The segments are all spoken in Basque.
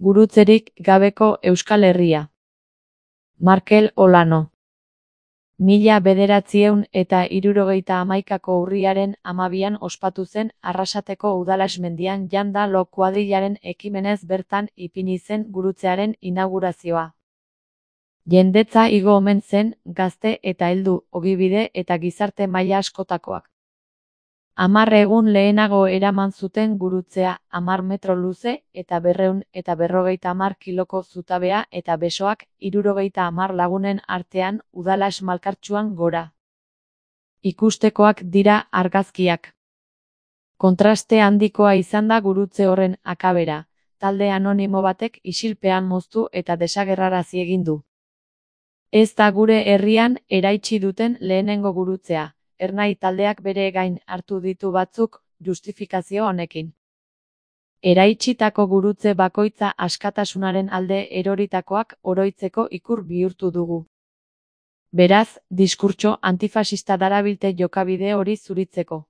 Gurutzerik gabeko Euskal Herria. Markel Olano. 1971ko urriaren 12an ospatu zen Arrasateko Udalasmendian Janda Lo kuadrilaren ekimenez bertan ipini zen gurutzearen inaugurazioa. Jendetza igo omen zen, gazte eta heldu, ogibide eta gizarte maila askotakoak. 10 egun lehenago eraman zuten gurutzea, 10 metro luze eta 250 kiloko zutabea eta besoak 70 lagunen artean Udalas malkartsuan gora. Ikustekoak dira argazkiak. Kontraste handikoa izan da gurutze horren akabera, talde anonimo batek isilpean moztu eta desagerrarazi egin du. Ez da gure herrian eraitsi duten lehenengo gurutzea. Ernai taldeak bere gain hartu ditu batzuk, justifikazio honekin. Eraitsitako gurutze bakoitza askatasunaren alde eroritakoak oroitzeko ikur bihurtu dugu. Beraz, diskurtso antifasista darabilte jokabide hori zuritzeko.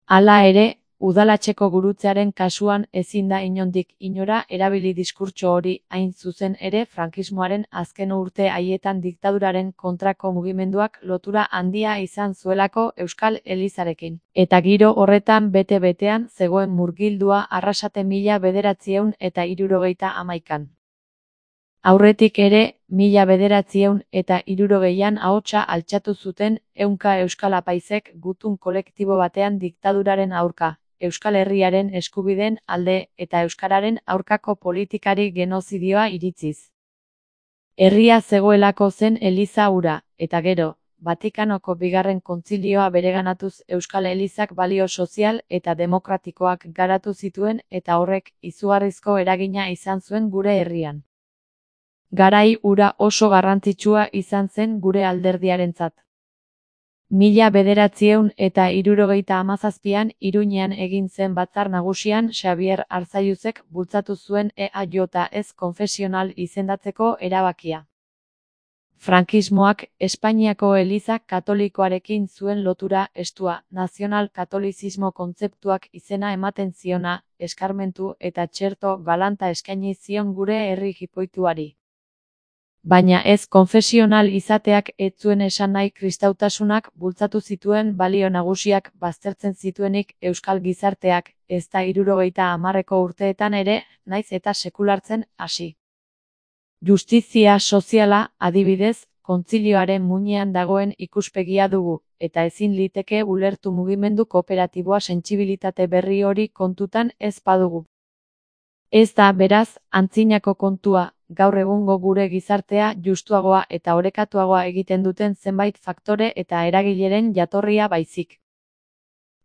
Hala ere, Udalatxeko gurutzearen kasuan ezin da inondik inora erabili diskurtso hori, hain zuzen ere frankismoaren azken urte haietan diktaduraren kontrako mugimenduak lotura handia izan zuelako Euskal Elizarekin. Eta giro horretan bete-betean zegoen murgildua Arrasate 1971an. Aurretik ere, 1960an ahotsa altxatu zuten 100 euskal apaizek gutun kolektibo batean diktaduraren aurka, Euskal Herriaren eskubideen alde eta euskararen aurkako politikari genozidioa iritziz. Herria zegoelako zen Eliza hura, eta gero, Vatikanoko bigarren kontzilioa bereganatuz Euskal Elizak balio sozial eta demokratikoak garatu zituen eta horrek izugarrizko eragina izan zuen gure herrian. Garai hura oso garrantzitsua izan zen gure alderdiarentzat. 1977an Iruñean egin zen batzar nagusian Xabier Arzalluzek bultzatu zuen EAJ konfesional izendatzeko erabakia. Frankismoak Espainiako Eliza Katolikoarekin zuen lotura estua, nazional-katolizismo kontzeptuak izena ematen ziona, eskarmentu eta txerto galanta eskaini zion gure herri jipoituari. Baina ez konfesional izateak ez zuen esan nahi kristautasunak bultzatu zituen balio nagusiak baztertzen zituenik euskal gizarteak, ezta 70ko urteetan ere, naiz eta sekulartzen hasi. Justizia soziala, adibidez, kontzilioaren muinean dagoen ikuspegia dugu, eta ezin liteke ulertu mugimendu kooperatiboa sentsibilitate berri hori kontutan ez badugu. Ez da, beraz, antzinako kontua, gaur egungo gure gizartea justuagoa eta orekatuagoa egiten duten zenbait faktore eta eragileren jatorria baizik.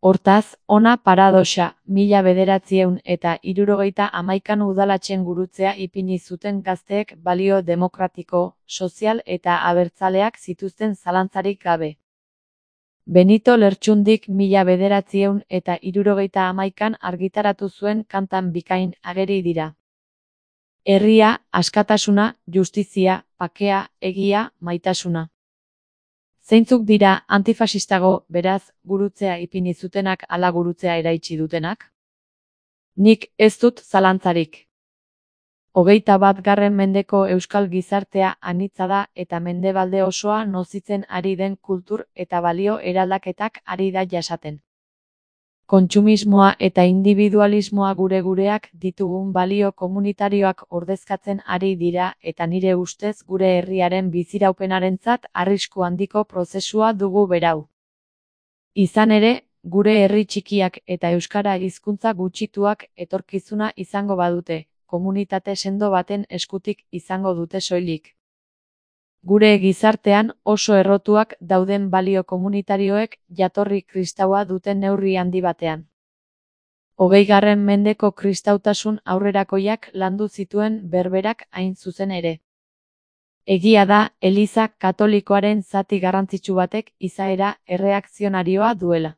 Hortaz, hona paradoxa, 1971an Udalatxen gurutzea ipini zuten gazteek balio demokratiko, sozial eta abertzaleak zituzten zalantzarik gabe. Benito Lertxundik 1971an argitaratu zuen kantan bikain ageri dira. Herria, askatasuna, justizia, bakea, egia, maitasuna. Zeintzuk dira antifasistago, beraz, gurutzea ipini zutenak ala gurutzea eraitsi dutenak? Nik ez dut zalantzarik. 21. mendeko euskal gizartea anitza da eta mendebalde osoa nozitzen ari den kultur eta balio eraldaketak ari da jasaten. Kontsumismoa eta individualismoa gureak ditugun balio komunitarioak ordezkatzen ari dira eta nire ustez gure herriaren biziraupenarentzat arrisku handiko prozesua dugu berau. Izan ere, gure herri txikiak eta euskara hizkuntza gutxituak etorkizuna izango badute, komunitate sendo baten eskutik izango dute soilik. Gure gizartean oso errotuak dauden balio komunitarioek jatorri kristaua duten neurri handi batean. 20. mendeko kristautasun aurrerakoiak landu zituen berberak hain zuzen ere. Egia da, Eliza Katolikoaren zati garrantzitsu batek izaera erreakzionarioa duela.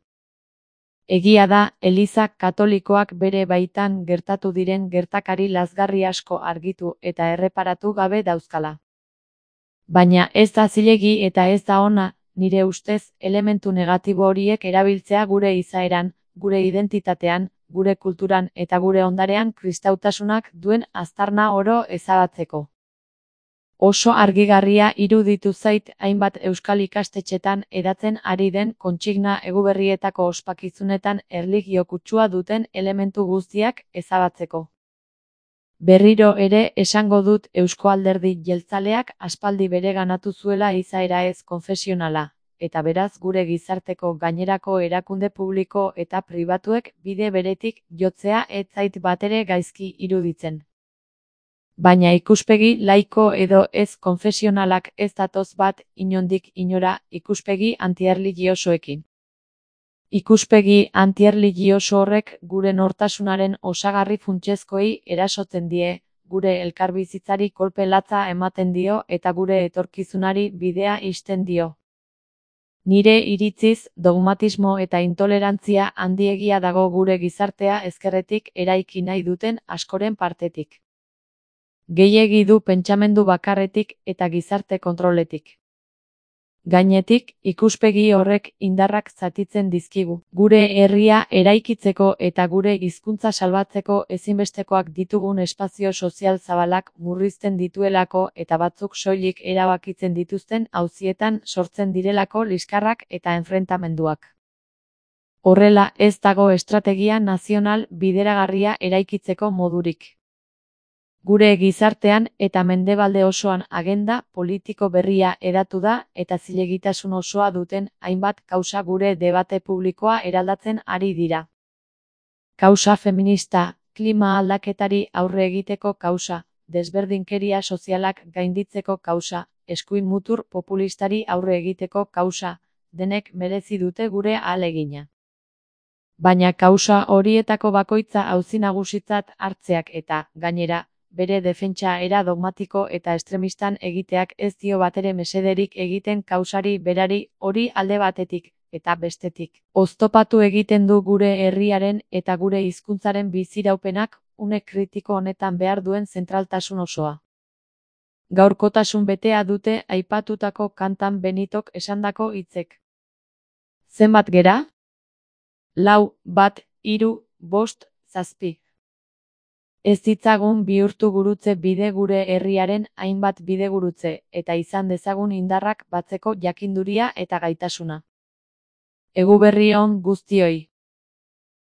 Egia da, Eliza Katolikoak bere baitan gertatu diren gertakari lazgarri asko argitu eta erreparatu gabe dauzkala. Baina ez da zilegi eta ez da ona, nire ustez, elementu negatibo horiek erabiltzea gure izaeran, gure identitatean, gure kulturan eta gure ondarean kristautasunak duen aztarna oro ezabatzeko. Oso argigarria iruditu zait hainbat euskal ikastetxetan hedatzen ari den kontsigna eguberrietako ospakizunetan erlijio kutsua duten elementu guztiak ezabatzeko. Berriro ere esango dut Eusko Alderdi Jeltzaleak aspaldi bereganatu zuela izaera ez konfesionala, eta beraz gure gizarteko gainerako erakunde publiko eta pribatuek bide beretik jotzea ez zait batere gaizki iruditzen. Baina ikuspegi laiko edo ez konfesionalak ez datoz bat inondik inora ikuspegi antierligiosoekin. Ikuspegi antierligioso horrek gure nortasunaren osagarri funtsezkoei erasotzen die, gure elkarbizitzari kolpe latza ematen dio eta gure etorkizunari bidea ixten dio. Nire iritziz, dogmatismo eta intolerantzia handiegia dago gure gizartea ezkerretik eraiki nahi duten askoren partetik. Gehiegi du pentsamendu bakarretik eta gizarte kontroletik. Gainetik, ikuspegi horrek indarrak zatitzen dizkigu. Gure herria eraikitzeko eta gure hizkuntza salbatzeko ezinbestekoak ditugun espazio sozial zabalak murrizten dituelako eta batzuk soilik erabakitzen dituzten auzietan sortzen direlako liskarrak eta enfrentamenduak. Horrela, ez dago estrategia nazional bideragarria eraikitzeko modurik. Gure gizartean eta mendebalde osoan agenda politiko berria hedatu da eta zilegitasun osoa duten hainbat kausa gure debate publikoa eraldatzen ari dira. Kausa feminista, klima aldaketari aurre egiteko kausa, desberdinkeria sozialak gainditzeko kausa, eskuin mutur populistari aurre egiteko kausa, denek merezi dute gure ahalegina. Baina kausa horietako bakoitza auzi nagusitzat hartzeak eta, gainera, bere defentsa era dogmatiko eta estremistan egiteak ez dio batere mesederik egiten kausari berari hori alde batetik eta bestetik. Oztopatu egiten du gure herriaren eta gure hizkuntzaren biziraupenak une kritiko honetan behar duen zentraltasun osoa. Gaurkotasun betea dute aipatutako kantan Benitok esandako hitzek. Zenbat gera? 4, 1, 3, 5, 7. Ez ditzagun bihurtu gurutze bide gure herriaren hainbat bidegurutze eta izan dezagun indarrak batzeko jakinduria eta gaitasuna. Eguberri on guztioi.